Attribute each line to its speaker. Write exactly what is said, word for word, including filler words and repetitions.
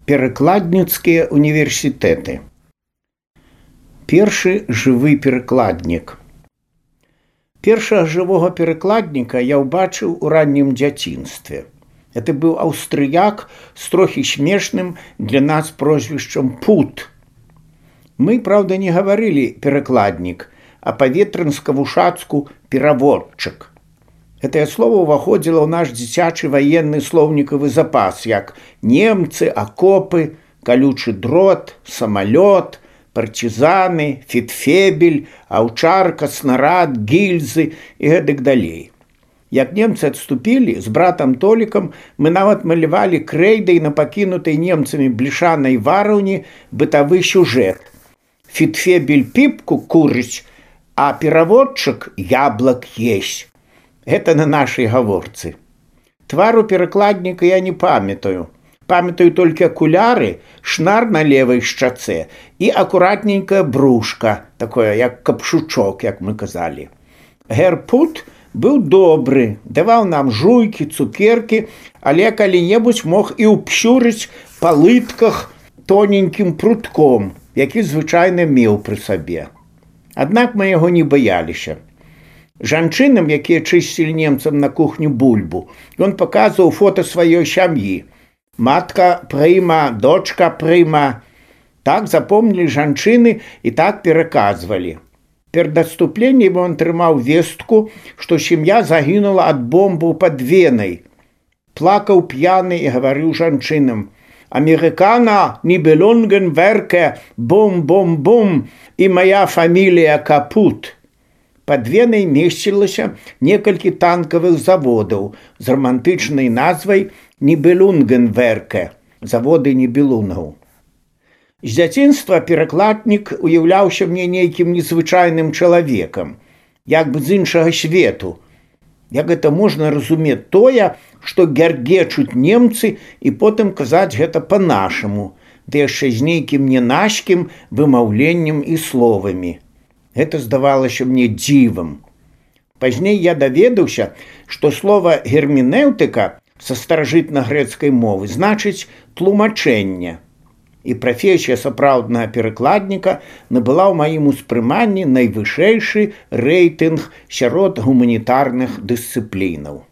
Speaker 1: Перакладніцкія універсітэты. Першы жывы перакладнік. Першага жывога перакладніка я ўбачыў у раннім дзяцінстве. Это быў аўстрыяк з трохі смешным для нас прозвішчам Пут. Мы, праўда, не гаварылі перакладнік, а па-ветрынска-вушацку пераводчык. Гэтае слова ўваходзіла ў наш дзіцячы ваенны слоўнікавы запас, як немцы, акопы, калючы дрот, самалёт, партизаны, фітфебель, аўчарка, снарад, гільзы і гэтак далей. Як немцы адступілі, з братам Толікам мы нават малявалі крэйдай на пакінутай немцамі блішанай вараўні бытавы сюжэт. Фітфебель піпку курыць, а пераводчык яблак есть. Гэта на нашай гаворцы. Твару перакладніка я не памятаю. Памятаю толькі акуляры, шнар на левай шчацэ і акуратненькая брушка, такое як капшучок, як мы казалі. Гер Пут быў добры, даваў нам жуйкі, цукеркі, але калі-небудзь мог і ўпсюрыць па лытках тоненькім прутком, які звычайна меў пры сабе. Аднак мы яго не баяліся. Жанчынам, якія чысцілі немцам на кухню бульбу, ён паказваў фота сваёй сям'і. Матка прыма, дочка прыма. Так запомнілі жанчыны і так пераказвалі. Перад адступленнем ён трымаў вестку, што сям'я загінула ад бомбаў пад Венай. Плакаў п'яны і гаварыў жанчынам: «Амерыкана, нібелунген верке, бум-бум-бум, і мая фамілія Капут». Пад Венай месцілася некалькі танкавых заводаў з рамантычнай назвай Нібелунген-верке, заводы нібелунгаў. З дзяцінства перакладнік уяўляўся мне нейкім незвычайным чалавекам, як бы з іншага свету. Як гэта можна разумець тое, што гяргечуць немцы і потым казаць гэта па-нашаму, ды яшчэ з нейкім нянашкім вымаўленнем і словамі. Гэта здавалася мне дзівам. Пазней я даведаўся, што слова герменэўтыка са старажытна-грэцкай мовы значыць тлумачэнне. І прафесія сапраўднага перакладніка набыла ў маім успрыманні найвышэйшы рэйтынг сярод гуманітарных дысцыплінаў.